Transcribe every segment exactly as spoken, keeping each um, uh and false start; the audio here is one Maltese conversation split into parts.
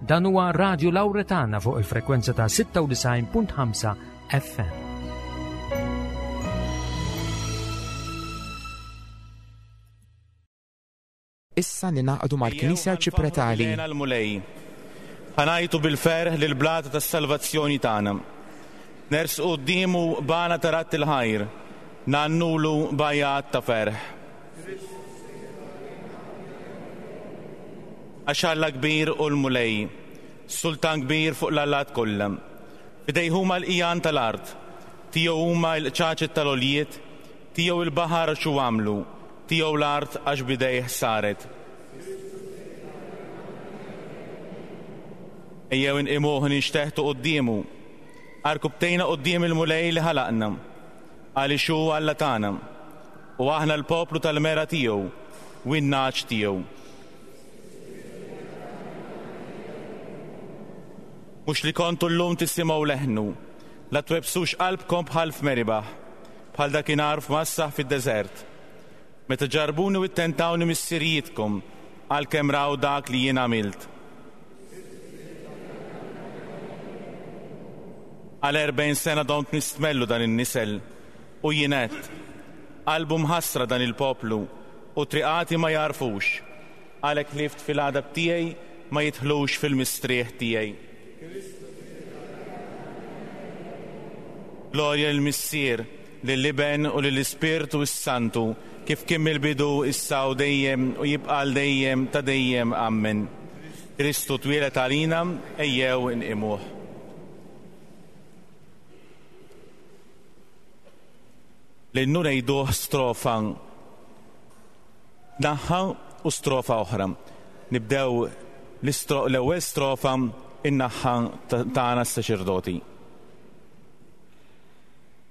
Dan huwa Radio Lauretana fuq il-frekwenza ta' sitta u disgħin punt ħamsa F M. Issa ningħaqdu mal-Knisja Arċipretali. L-Mulej. Ħa ngħajtu bil-ferħ lill-blata tas-salvazzjoni tagħna. Nersqu quddiemu b'għana ta' radd il-ħajr, ngħannulu b'għajat ta' ferħ. Għax Alla kbir hu l-Mulej, sultan kbir fuq l-allat kollha. F'idejh huma l-qigħan tal-art, tiegħu huma l-qċaċet tal-għoljiet, tiegħu il-baħar għax hu għamlu, tiegħu l-art għax bidejh saret. Ejjew inqimuh, ninxteħtu quddiemu. Għarkupptejna quddiem il-Mulej li ħalaqna, għaliex hu Alla tagħna, u aħna l-poplu tal-mergħa tiegħu u n-nagħaġ tiegħu. Mhux li kontu llum tisimgħu leħnu, la twebbsux qalbkom bħal f'Meribaħ, bħal dakinhar f'Massaħ fid-deżert. Meta ġarrbuni u ttentawni missirijietkom, għalkemm raw dak li jien għamilt. Għal erbgħin sena domt nistmellu dan in-nisel u jien għedt, qalbu mħassra dan il-poplu u triqati ma jagħrfux, għalhekk ħlift fil-għadab tiegħi, ma jidħlux fil-mistrieħ tiegħi. Glorja lill-Missier, lill-Iben u lill-Ispirtu s-Santu, kif kien mill-bidu, issa u dejjem u jibqa' għal dejjem ta' dejjem. Amen. Kristu twieled għalina, ejjew inqimuh. L-innu ngħiduh strofa naħa u strofa oħra. Nibdew l-ewwel strofa in-naħa tagħna s-saċerdoti.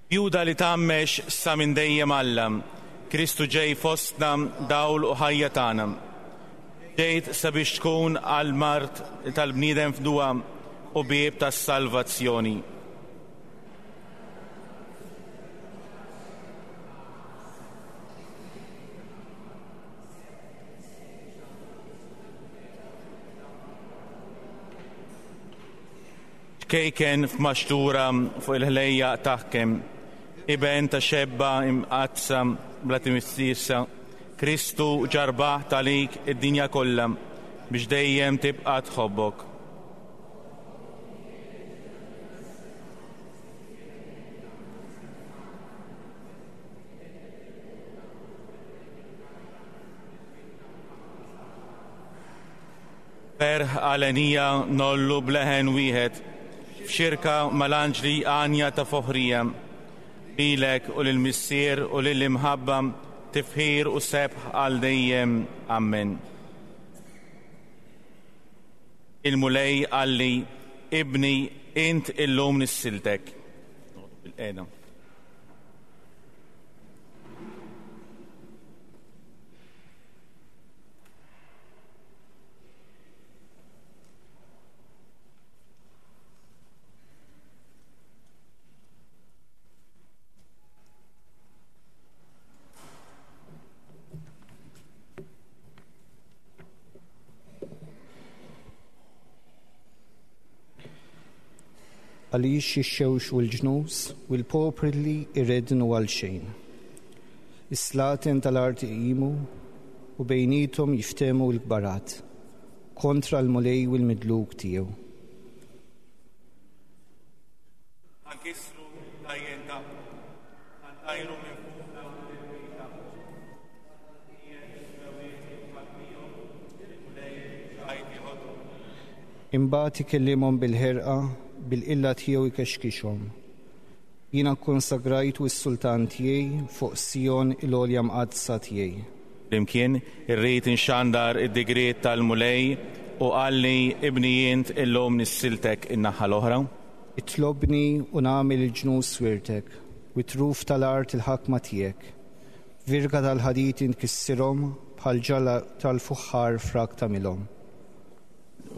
Bjuda li tgħammex sa minn dejjem Alla, Kristu ġej fostna, dawl u ħajja tagħna. Ġejt sabiex tkun għall-mard tal-bniedem fdwa u bieb tas-salvazzjoni. Ċkejken f'maxtura fuq il-ħlejjaq taħkem, iben ta' xebba imqaddsa bla tmissiesa, Kristu ġa rbaħt għalik id-dinja kollha biex dejjem tibqa' tħobbok. Ferħ għalenija ngħollu b'leħen wieħed f'xirka mal-anġli għanja ta' foħrija. Lilek u lill-Missier u lill-Imħabba tifħir u sebħ għal dejjem. Amen. Il-Mulej qalli, ibni int, illum nissiltek. Bil-qeda. Għaliex jixxewxu l-ġnus u l-popli li jreddnu għal xejn? Is-slaten tal-art iqimu u bejniethom jiftehmu l-kbarat kontra l-Mulej u l-midluk tiegħu. Ħa nkissru l-ktajjen tagħhom, ħa ntajru minn fuqna l-piż tagħhom. Imbagħad ikellimhom bil-ħerqa, bil-qilla tiegħu jkexkixhom. Jiena kkonsagrajtu s-sultan tiegħi fuq Sion, il-għolja mqaddsa tiegħi. Flimkien, irrid inxandar id-digriet tal-Mulej u qalli, ibni int, illum nissiltek, in-naħa l-oħra. Itlobni u nagħmel il-ġnus wirtek u t-truf tal-art il-ħakma tiegħek. Virga tal-ħadid inkissirhom, bħal ġara tal-fuħħar frak tagħmilhom.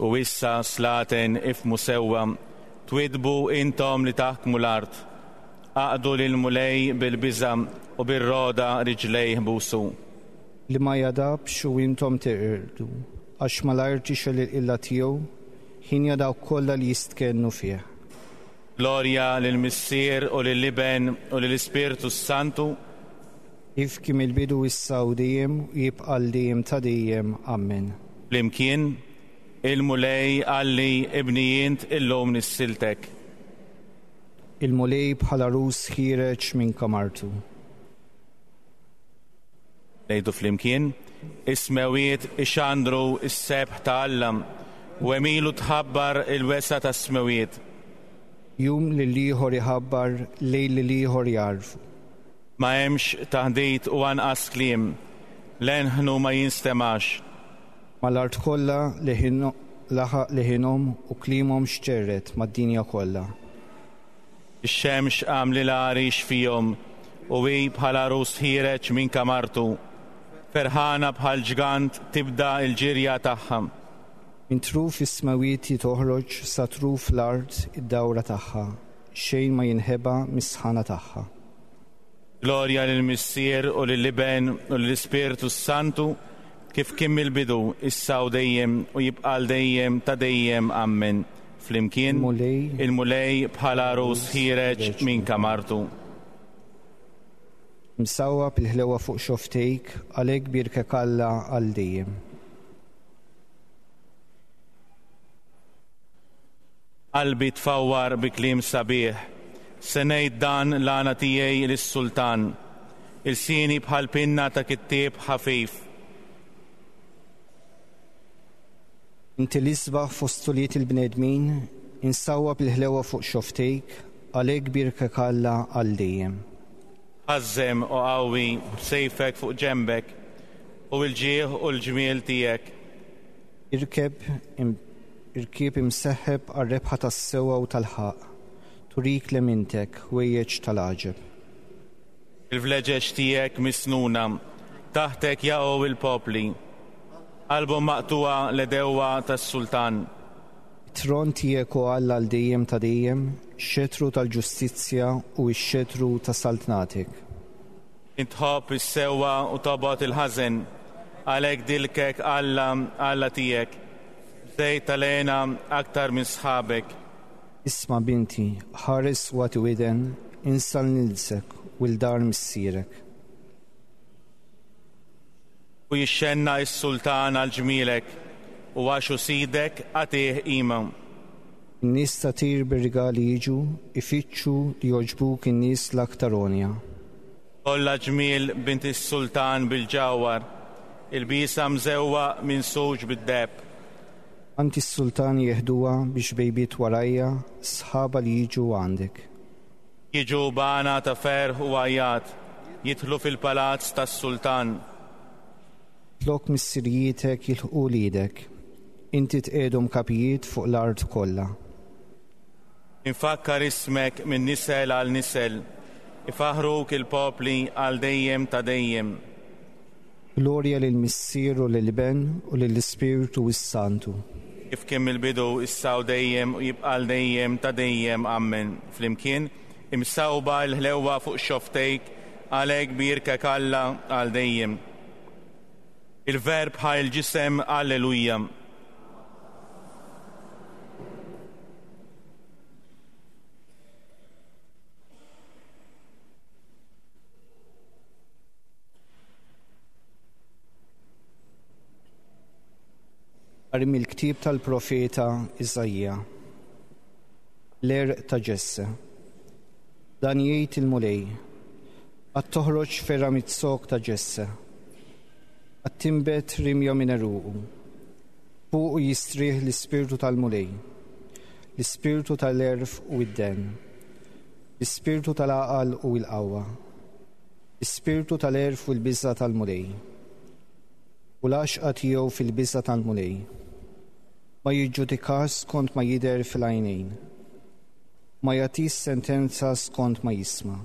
U issa, slaten, ifhmu sewwa, twiddbu intom li taħkmu l-art. Aqdu lill-Mulej bil-biża' u bir-rogħda riġlejh busu. Li ma jagħdabx u intom teqirdu, għax malajr tixgħel il-qilla tiegħu, ħinja dawk kollha li jistkennu fih. Glorja lill-Missier u lill-Iben u lill-Ispirtu s-Santu. Kif kien mill-bidu issa u dejjem u jibqa' għal dejjem ta' dejjem. Amen. Flimkien, il-Mulej qalli ibni int illum nissiltek. Il-Mulej bħal għarus ħiereġ minn kamartu. Ngħidu flimkien, is-smewiet ixandru s-sebħ ta' Alla u għemilu tħabbar il-wesgħa tas-smewiet. Jum lil ieħor iħabbar, lejl lil ieħor jagħrfu. Ma hemmx taħdit u anqas kliem, leħnu ma jinstemax. Mal-art kollha laħaq leħinhom u kliemhom xterret mad-dinja kollha. Ix-xemx għamlilha għarix fihom u hi bħal għarus ħiereġ minn kamartu. Ferħana bħal ġgant tibda l-ġirja tagħha. Minn truf is-smewiet toħroġ sa truf l-art id-dawra tagħha, xejn ma jinħeba mis-sħana tagħha. Glorja lill-Missier u lill-Iben u lill-Ispirtu s-Santu, kif kien mill-bidu, issa u dejjem u jibqa' għal dejjem ta' dejjem. Amen. Flimkien, il-Mulej bħal għarus ħiereġ minn kamartu. Msawwab il-ħlewa fuq xoftejk, għalhekk bierkek Alla għal dejjem. Qalbi tfawwar bi kliem sabiħ, se ngħid dan l-għana tiegħi lis-sultan, ilsieni bħal pinna ta' kittieb ħafif. Inti l-isbaħ fost ulied il-bnedmin, insawwab il-ħlewa fuq xoftejk, għalhekk bierkek Alla għal dejjem. Ħażżem u qawwi b'sejfek fuq ġenbek u l-ġieħ u l-ġmiel tiegħek. Irkeb irkib imseħħeb għar-rebħa tas-sewwa u tal-ħaqq, turik lemintek ħwejjeġ tal-għaġeb. Il-vleġeġ tiegħek misnuna, taħtek jaqgħu il-popli. Qalbhom maqtuha l-edewwa tas-sultan. It-tron tiegħek o Alla għal dejjem ta' dejjem, xetru tal-ġustizzja u x-xetru ta' saltnatek. Intħobb is-sewwa u tobgħod il-ħażen, għalhekk dilkek Alla Alla tiegħek, żejt tal-għena aktar minn sħabek. Isma' binti, ħares u agħti widen, insa l-nilsek u l-dar missierek. U jixxenna s-sultan għal ġmielek u għax hu sidek għatih qima. In-nies ta' Tir bir-rigali jiġu, ifittxu li jogħġbuk in-nies l-aktar għonja. Kollha ġmiel bint is-sultan bil-ġawhar, il-bisa mżewwa minn suġ bid-deheb. Għand is-sultan jeħduha biex bejbiet warajja, sħaba li jiġu għandek. Jiġu b'għana ta' ferħ u għajjat, jidħlu fil-palazz tas-sultan. Flok missirijitek jilħqu lidek, inti tqiegħdhom kapijiet fuq l-art kollha. Infakkar ismek minn nisel għal nisel, ifaħruk il-popli għal dejjem ta' dejjem. Glorja lill-Missier u lill-Iben u lill-Ispirtu s-Santu. Kif kien mill-bidu issa u dejjem u jibqa' għal dejjem ta' dejjem. Amen. Flimkien, imsawba l-ħlewwa fuq xoftejk, għalhekk bierkek Alla għal dejjem. Il-Verb ħa l-ġisem, alleluja. Qari mill-ktieb tal-profeta Iżaija. L-għerq ta' Ġesse. Dan jgħid il-Mulej, għad toħroġ ferra mit-sok ta' Ġesse, għad tinbet rimja minn għeruqu. Fuqu jistrieħ l-ispirtu tal-Mulej, l-ispirtu tal-għerf u id-den, l-ispirtu tal-għaqal u l-qawwa, l-ispirtu tal-għerf u l-biża' tal-Mulej, u l-għaxqa tiegħu fil-biża' tal-Mulej. Ma jiġġudikax skont ma jidher fil-għajnejn, ma jagħtix sentenza skont ma jisma',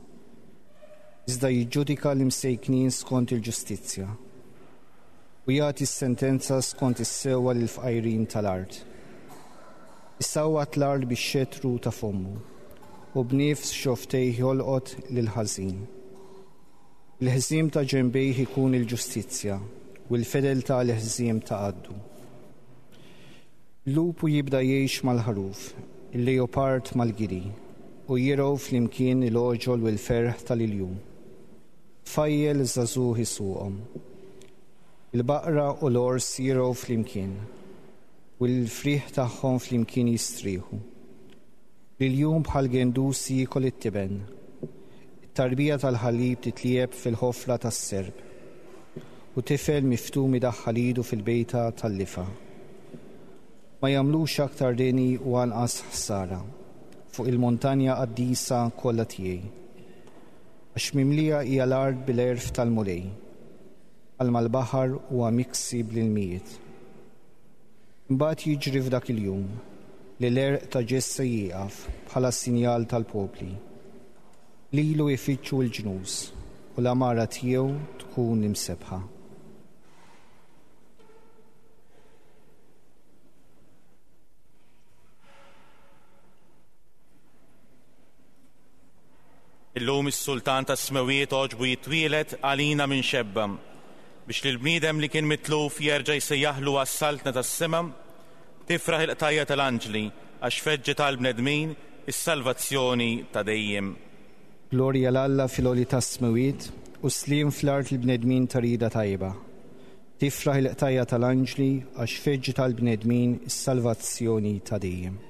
iżda jiġġudika l-imsejknin skont il-ġustizzja, u jagħti sentenza skont is-sewwa lill-fqajrin tal-art. Isawwat l-art bix-xetru ta' fommu, u b'nifs xoftejh jolqot lil ħażin. Il-ħżiem ta' ġenbejh ikun il-ġustizzja, u l-fedeltà l-ħżiem ta' għaddu. Lupu jibda jgħix mal-ħaruf, il-leopard mal-giri, u jirgħu flimkien il-għoġol u l-ferħ tal-iljun. Tfajjel żagħżugħ isuqhom. Il-baqra u l-ors jirgħu flimkien, u l-frieħ tagħhom flimkien jistrieħu. L-iljun bħal gendus jiekol it-tiben. It-tarbija tal-ħalib titlieb fil-ħofra tas-serp, u tifel miftum idaħħal idu fil-bejta tal-lifa. Ma jagħmlux aktar deni u anqas ħsara fuq il-montanja qaddisa kollha tiegħi. Għax mimlija hija l-art bil-għerf tal-Mulej, bħalma l-baħar huwa miksi bl-ilmijiet. Imbagħad jiġri f'dak il-jum li l-għerq ta' Ġesse jieqaf bħala sinjal tal-popli. Lilu jfittxu l-ġnus u l-għamara tiegħu tkun imsebħa. Illum is-sultan tas-smewiet għoġbu jitwielet għalina minn xebba, biex lill-bniedem li kien mitluf jerġa' jsejjaħlu għas-saltna tas-sema. Tifraħ il-qtajja tal-anġli għax feġġet għall-bnedmin is-salvazzjoni ta' dejjem. Glorja 'l Alla fil-għoli tas-smewiet u sliem fl-art il-bnedmin ta' rieda tajba. Tifraħ il-qtajja tal-anġli għax feġġet għall-bnedmin is-salvazzjoni ta' dejjem.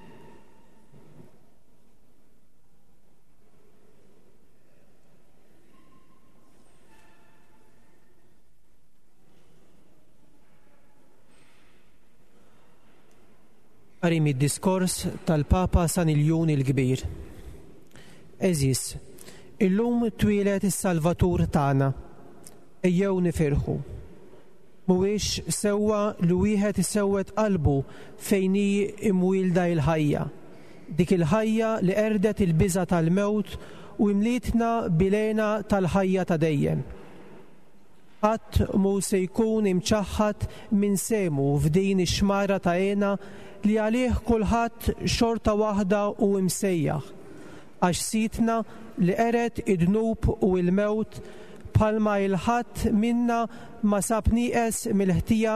Qari mid-diskors tal-Papa San Iljun il-Kbir. Għeżież, illum twieled is-Salvatur tagħna. Ejjew nifirħu. Mhuwiex sewwa li wieħed isewwed qalbu fejn hi imwielda l-ħajja. Dik il-ħajja li qerdet il-biża' tal-mewt u imlietna bil-hena tal-ħajja ta' dejjem. Ħadd mhu se jkun imċaħħad minn sehmu f'din ix-xmara ta' hena li għalih kulħadd xorta waħda u imsejjaħ, għax sidna li qered id-dnub u l-mewt bħalma il-ħadd minna ma sab nieqes mill-ħtija,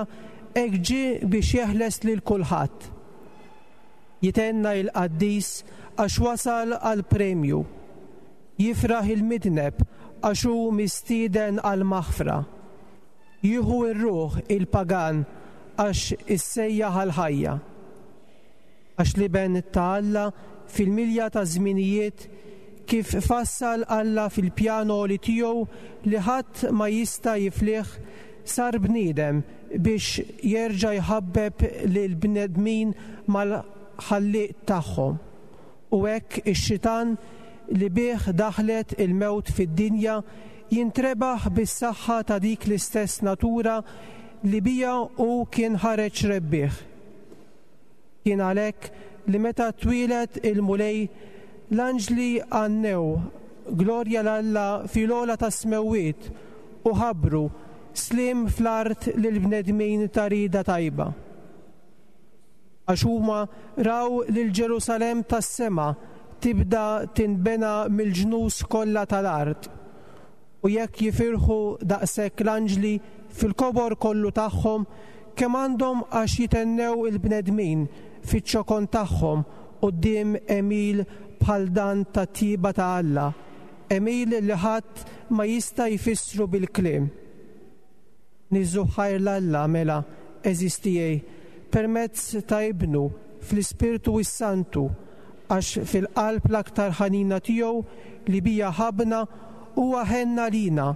hekk ġie biex jeħles lil kulħadd. Jitenna il-qaddis għax wasal għal premju. Jifraħ il-midneb għax hu mistieden għal maħfra. Jieħu r-ruħ il-pagan għax issejjaħ għal ħajja. Għax l-Iben ta' Alla fil-milja ta' żminijiet kif fassal Alla fil-pjano li tiegħu li ħadd ma jista' jiflih, sar bniedem biex jerġa' jħabbeb lil bnedmin mal-ħallieq tagħhom. U hekk ix-xitan li bih daħlet il-mewt fid-dinja jintrebaħ bis-saħħa ta' dik l-istess natura li bija hu kien ħareġ rebbieħ. Kien għalhekk li meta twieled il-Mulej, l-anġli għannew glorja 'l Alla fil-ogħla tas-smewwiet u ħabbru sliem fl-art lill-bnedmin ta' rieda tajba. Għax huma raw lil Ġerusalemm tas-sema tibda tinbena mill-ġnus kollha tal-art. U jekk jifirħu daqshekk l-anġli fil-kobor kollu tagħhom, kemm għandhom għax jitennew il-bnedmin fiċ-ċokon tagħhom quddiem għemil bħal dan tat-tjieba ta' Alla, għemil li ħadd ma jista' jfissru bil-kliem. Niżżu ħajr 'l Alla mela, għeżież tiegħi, permezz ta' Ibnu fl-Ispirtu s-Santu, għax fil-qalb l-aktar ħanina tiegħu li bija ħabna huwa ħenna lina,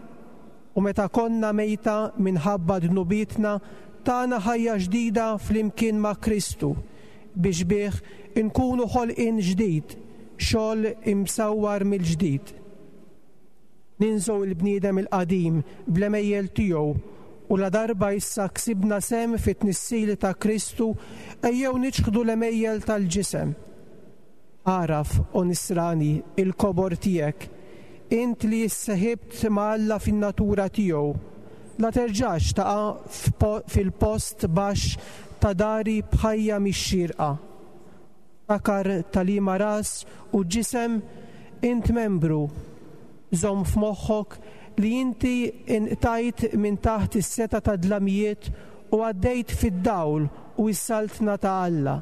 u meta konna mejta minħabba dnubietna tana ħajja ġdida flimkien ma' Kristu, biex bih inkunu ħolqien ġdid, xogħol imsawwar mill-ġdid. Ninżgħu il-bniedem il-qadim bl-għemejjel tiegħu, u la darba issa ksibna sem fit-tnissil ta' Kristu, ejjew niċħdu l-għemejjel tal-ġisem. Agħraf, o nisrani, il-kobor tiegħek, int li isseħibt ma' Alla fin-natura tiegħu, la terġax taqa' fil-post baxx ta' dari b'ħajja mix-xierqa. Takar tal-liema ras u ġisem int membru, żomm f'moħħok li inti inqtajt minn taħt is-seta ta' dlamijiet u għaddejt fid-dawl u s-saltna ta' Alla.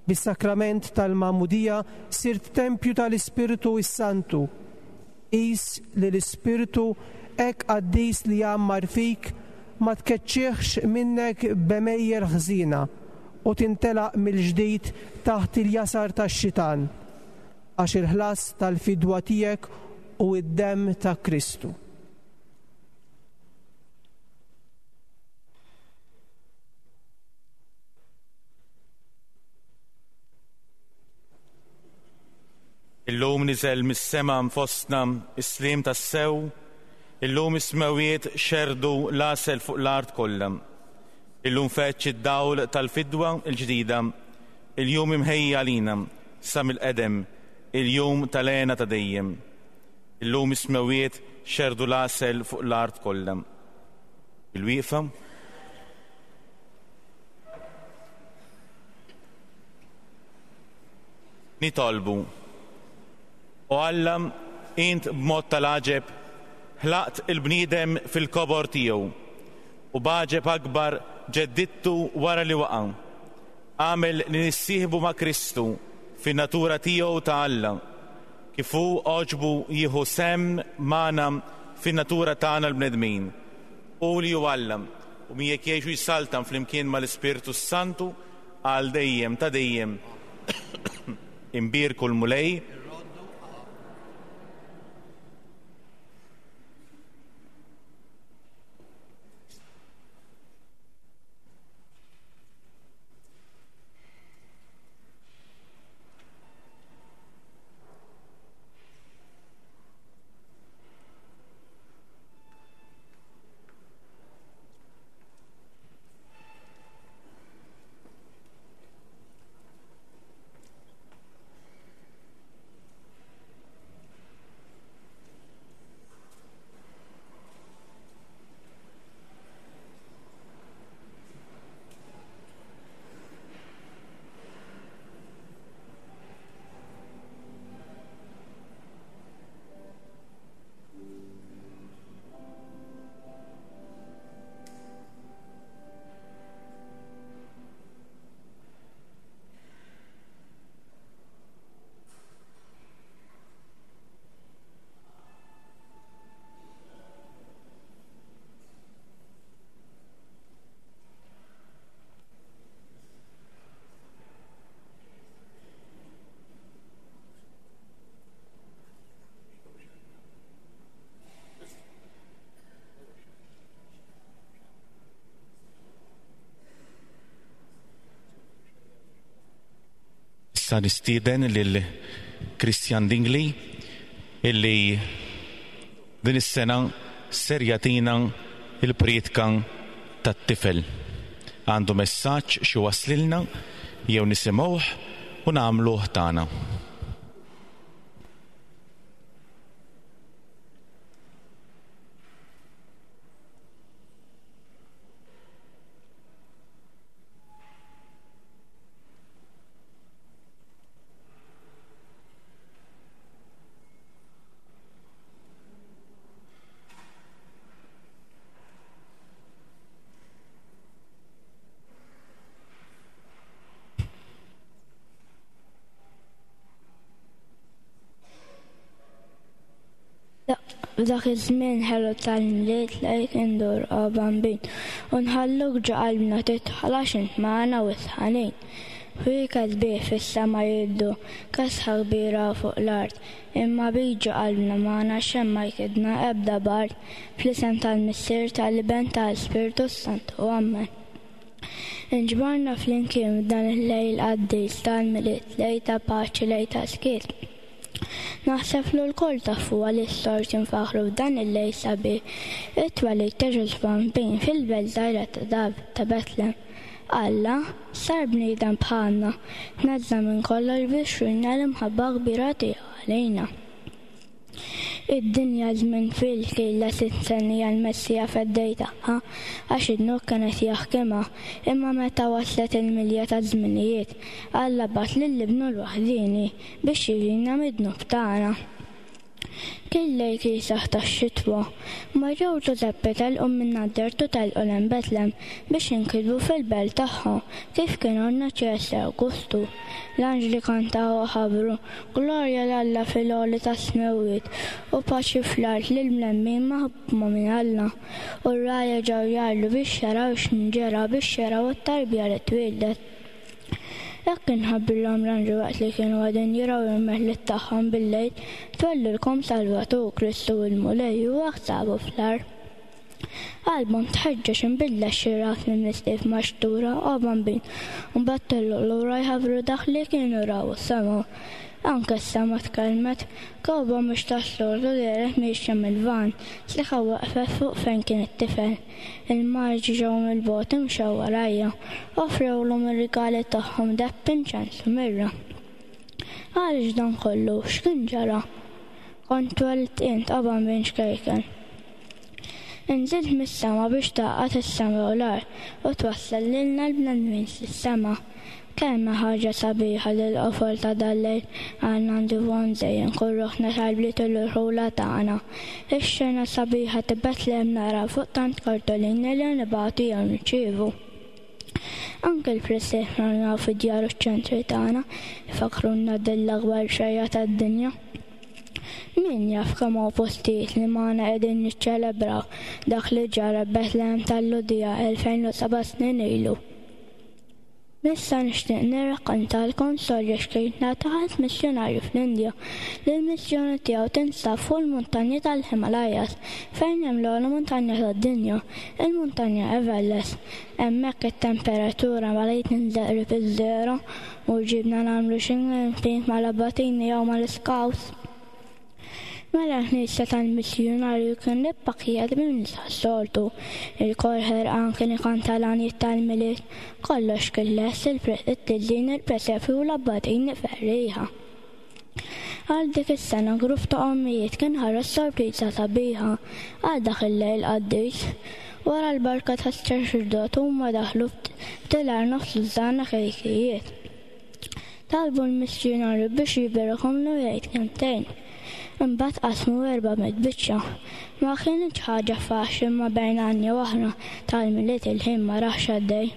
Bis-sakrament tal-Magħmudija sirt tempju tal-Ispirtu s-Santu. Qis li l-Ispirtu hekk qaddis li jgħammar fik ma tkeċċieħx minnek b'għemejjel ħżiena u tintelaq mill-ġdid taħt il-jasar tax-xitan, għax il-ħlas tal-fidwa tiegħek u d-demm ta' Kristu. Illum niżel mis-sema fostna is-slim tas-sew, illum is-smewwiet xerdu l-għasel fuq l-art kollha. Illum feċ id-dawl tal-fidwa l-ġdida, il-jum imħejja għalina sa mill-qedem, il-jum tal-għena ta' dejjem. Illum is-smewwiet xerdu l-għasel fuq l-art kollha. Il-wieqfa. Nitolbu. O Alla, int b'mod tal-għaġeb ħlaqt il-bniedem fil-kobor tiegħu u b'għaġeb akbar ġeddidtu wara li waqa'. Għamel li nissieħbu ma' Kristu fin-natura tiegħu ta' Alla, kif hu għoġbu jieħu sehem magħna fin-natura tagħna l-bnedmin. Hu li hu Alla u miegħek jgħixu jsaltan flimkien mal-Ispirtu s-Santu għal dejjem ta' dejjem. Imbierku l-Mulej. Issa nistieden lil Christian Dingli illi din is-sena ser jagħtina il-prietka tat-tifel. Għandu messaġġ xi waslilna jew nisimgħuh u nagħmluh tagħna. F'dak iż-żmien ħelu tal-Milied lejk indur o Bambin u nħalluk ġo qalbna tidħol għax int magħna u ħanin. Fik sbieħ fis-sema jiddu, kesħa kbira fuq l-art, imma bik ġo qalbna magħna xejn ma jkidna ebda bard, fl-isem tal-Missier, tal-Iben, tal-Ispirtu s-Santu. Amen. Inġbarna flimkien f'dan il-lejl qaddis tal-Milied, lejl ta' paċi, lejl ta' skiet. Naħseb li lkoll tafu għaliex sorti nfaħru f'dan il-lejl sabiħ it-twelid ta' Ġesù Bambin fil-belt żgħira ta' David ta' Betlem. Alla sar bniedem bħalna, tneżża' minn kollox biex jurina l-imħabba kbira tiegħu għalina. Id-dinja żmien twil kellha tistennija l-Messija feddej tagħha għax id-dnub kienet jaħkimha, imma meta waslet il-milja taż-żminijiet, Alla bagħat lil Ibnu l-waħdieni biex jifdina mid-dnub tagħna. Kien lejl kiesaħ tax-xitwa. Marija u Ġużeppi telqu minn Nazaret u telqu lejn Betlem biex jinkitbu fil-belt tagħhom kif kien ordna Ċesare Awgustu. L-anġli kantaw u ħabbru glorja 'l Alla fil-għoli tas-smewwiet u paċi fl-art lil bnedmin maħbuba minn Alla. U r-rgħajja ġew jgħarrlu biex jaraw x'inġara biex jaraw it-tarbija li twieldet. Hekk inħabbrilhom l-anġlu waqt li kienu qegħdin jirgħu l-merħliet tagħhom bil-lejl, twellilkom Salvatur Kristu il-Mulej u hekk sabu fl-għar. Qalbhom tħeġġeġ inbidlet xi ras minn mistief maxtura u bambin, u mbagħad telqu lura jħabbru dak li kienu raw u semgħu. Anke s-sema tkellmet, kewkba mhux tas-soltu dehret miexja mill-lvant, sliħa waqfet fuq fejn kien it-tifel. Il-maġi ġew mill-bogħod imxew warajja, offrewlhom ir-rigali tagħhom deheb, inċens u mirra. Għaliex dan kollu, x'kien ġara? Kont twelidt int o bambin xkejken. Inżilt mis-sema biex tgħaqqad is-sema u l-art u twassal lilna l-bnedmin lis-sema. Kemm ħaġa sabiħa li l-qofol ta' dal-lejl għandna ndivu nżejjen kull ruħna tal-bliet u l-irħula tagħna. Ix-xena sabiħa ta' Betlem nara fuq tant kartolini li nibagħtu jew nirċievu. Anke l-presepju naraw fid-djar u ċ-ċentri tagħna ifakruna din l-akbar xejja tad-dinja. Min jaf kemm hawn postijiet li magħna qegħdin niċċelebraw dak li ġara Betlem tal-Lhudija elfejn u seba' snin ilu. Issa nixtieq nirrakkontalkom storja xkejtna ta' ħadd missjonarju fl-Indja li l-missjoni tiegħu tinsab fuq il-muntanji tal-Himalayas fejn hemm l-ogħla muntanja tad-dinja, il-muntanja Everest. Hemmhekk it-temperatura malajr tinżel qrib iż-żero u ġibna nagħmlu xi camping mal-abbatini jew mal-scouts. Mela l-knisja tal-missjonarju kien ippakkjat minn nies tas-soltu. Il-kor ħerqan kien ikanta l-għanjiet tal-Milied, kollox kien lest, it-tiżjin, il-presepju u l-abbatini ferrieħa. Għal dik is-sena grupp ta' ommijiet kien ħareġ sorpriża sabiħa għal dak il-lejl qaddis. Wara l-barka tas-saċerdot huma daħlu f'tilar nofs tużżana kejkijiet. Talbu l-missjonarju biex jiberikhom u jgħid kelmtejn. Imbagħad qasmu erba' mitt biċċa. Ma kienx ħaġa faċli ma bejn għanja oħra tal-Milied il-ħin ma raħx għaddej.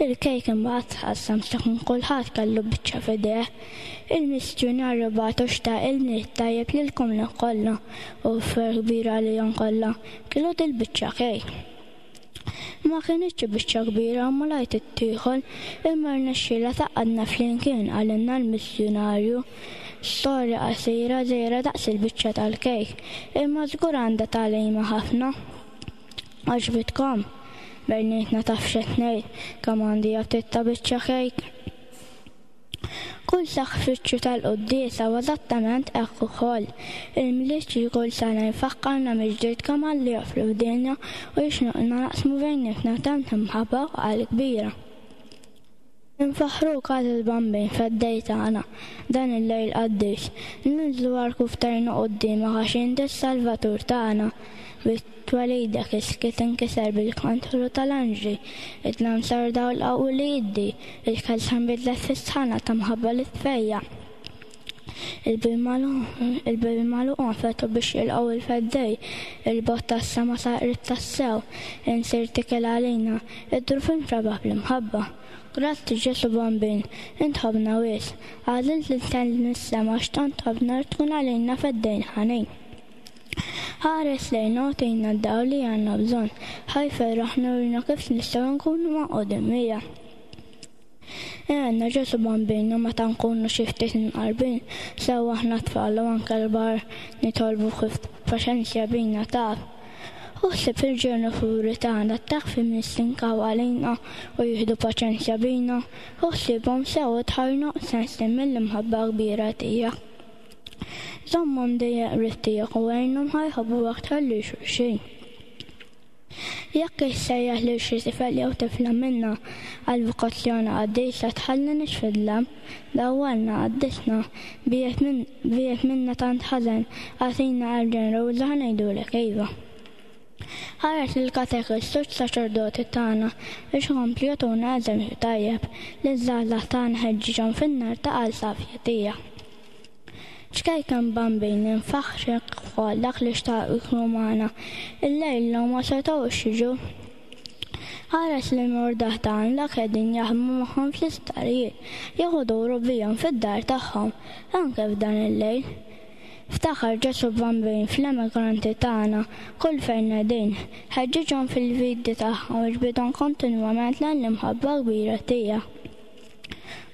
Il-kejk imbagħad tqassam sakemm kulħadd kellu biċċa f'idejh. Il-missjonarju bagħtu xtaq il-Milied tajjeb lilkom kollha u ferħ kbir għalihom kollha kielu dil-biċċa kejk. Ma kienx biċċa kbira u malajr tittieħol imma rnexxielha tgħaqqadna flimkien qalilna l-missjonarju. Storja qasira żgħira daqs il-biċċa tal-kejk, imma żgur għandha tagħlima ħafna. Għaġbitkom? Bejnietna taf x'qed ngħid kemm għandi aptit ta' biċċa kejk. Kull sagrifiċċju tal-quddiesa huwa eżattament hekk ukoll. Il-Milied xi kull sena jfakkarna mill-ġdid kemm Alla joffri f'dinja u jixnuqna naqsmu bejnietna tant imħabba u qalb kbira. Infaħħruk għażiż Bambin feddej tagħna dan il-lejl qaddis. Ninżlu għal ftajna quddiemek għax inti s-Salvatur tagħna. Bit-twelidek is-skiet inkiser bil-kantru tal-anġli, id-dlam sar dawl qawwi li jiddi, il-kelsa nbidlet fis-sħana ta' mħabba li tfejjaq. Il-bibien magħluqa nfetħu biex jilqgħu il-feddej, il-bogħod tas-sema sar qrib tassew, insir tikel għalina, id-druf intrabaħ bl-imħabba. Grazzi Ġesu Bambin, int ħobna wisq, għażilt li tinżel mis-sema għax tant ħobna li tkun għalina feddejn ħanin. Ħares lejna u tina d-dawl li għandna bżonn, ħa jferraħna u jurina kif nistgħu nkunu magħqudin miegħek. Għenna Ġesu Bambin u meta nkunu xi ftit imqarbin, sew aħna tfal u anke l-kbar nitolbu kif paċenzja bina taf. Uħsib il-ġenituri tagħna taf nistinkaw għalina u jieħdu paċenzja bina, uħsibhom sew tħajnu sensi mill-imħabba kbira tiegħek. Żommhom dejjem qrib tiegħek u għinhom ħa jħobbu aktar lil xulxin. Jekk issejjaħ lil xi tifel jew tifla minna għal vokazzjoni qaddisa tħallinix fid-dlam, dawwalna qaddisna, biegħed minna tant ħażen, agħtina qalb ġeneruża ħa ngħidulek iva. Ħares lill-katekisti u s-saċerdoti tagħna biex ikomplu jagħtuna eżempju tajjeb li ż-żgħażagħ tagħna ħeġġiġhom fin-nar ta' qalb safja tiegħek. Ċkejken Bambin infaħħrek ukoll dak li xtaqu jkunu magħna. Illejla ma setgħux jiġu. Ħares li morda tagħna dak qegħdin jaħdmu magħhom fl-isptarijiet, jew iduru bihom fid-dar tagħhom, anke f'dan il-lejl. Ftakar Ġesù Bambin fl-emigranti tagħna kull fejn qegħdin, ħeġġiġhom fil-vidi tagħhom u ġbidhom kontinwament lejn l-imħabba kbira tiegħek.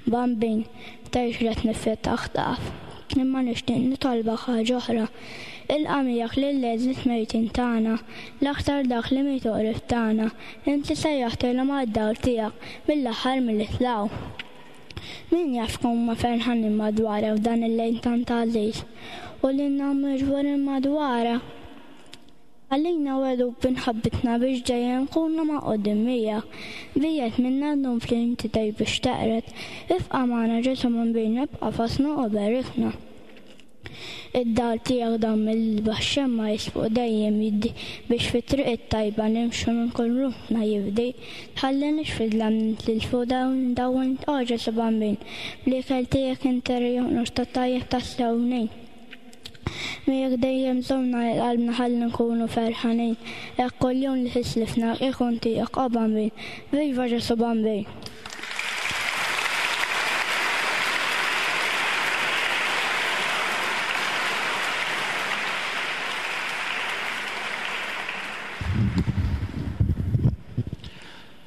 Bambin, tgħix li qed nifetaħ taf, imma nixtieq nitolbok ħaġa oħra. Ilqa' miegħek lill-għeżież mejtin tagħna, l-aktar dak li mietu qrib tagħna, inti sejjaħtilhom għad-dawl tiegħek mill-aħħar milli tlaqgħu. Min jaf kemm huma ferħanin madwarek f'dan il-lejl tant għażiż u lilna miġburin madwarek. Għalina wedu b'inħabbitna biex dejjem nkunu magħqudin miegħek. Biegħed minna ddum fl-inti tgħid biex teqred. Ibqa' magħna Ġesù Bambin, ibqa' fostna u berikna. Id-dawl tiegħek dawn mill-isbaħ xemma jisbuq dejjem jiddi biex fit-triq it-tajba nimxu minn kull ruħna jibdi. Tħallinix fid-dlam nitilfu dawn dawn o Ġesù Bambin, bl-ikel tiegħek inti rjoqnux ta' tajjeb tas-sewnin. Miegħek dejjem żommna lil qalbna ħalli nkunu ferħanin, hekk kuljum li tislifna ikun tiegħek o Bambin. Viva Ġesù Bambin!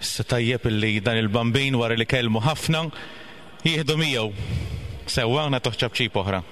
Issa tajjeb illi dan il-Bambin wara li kellmu ħafna jieħdu miegħu. Sewwa nagħtuh ċapċip oħra.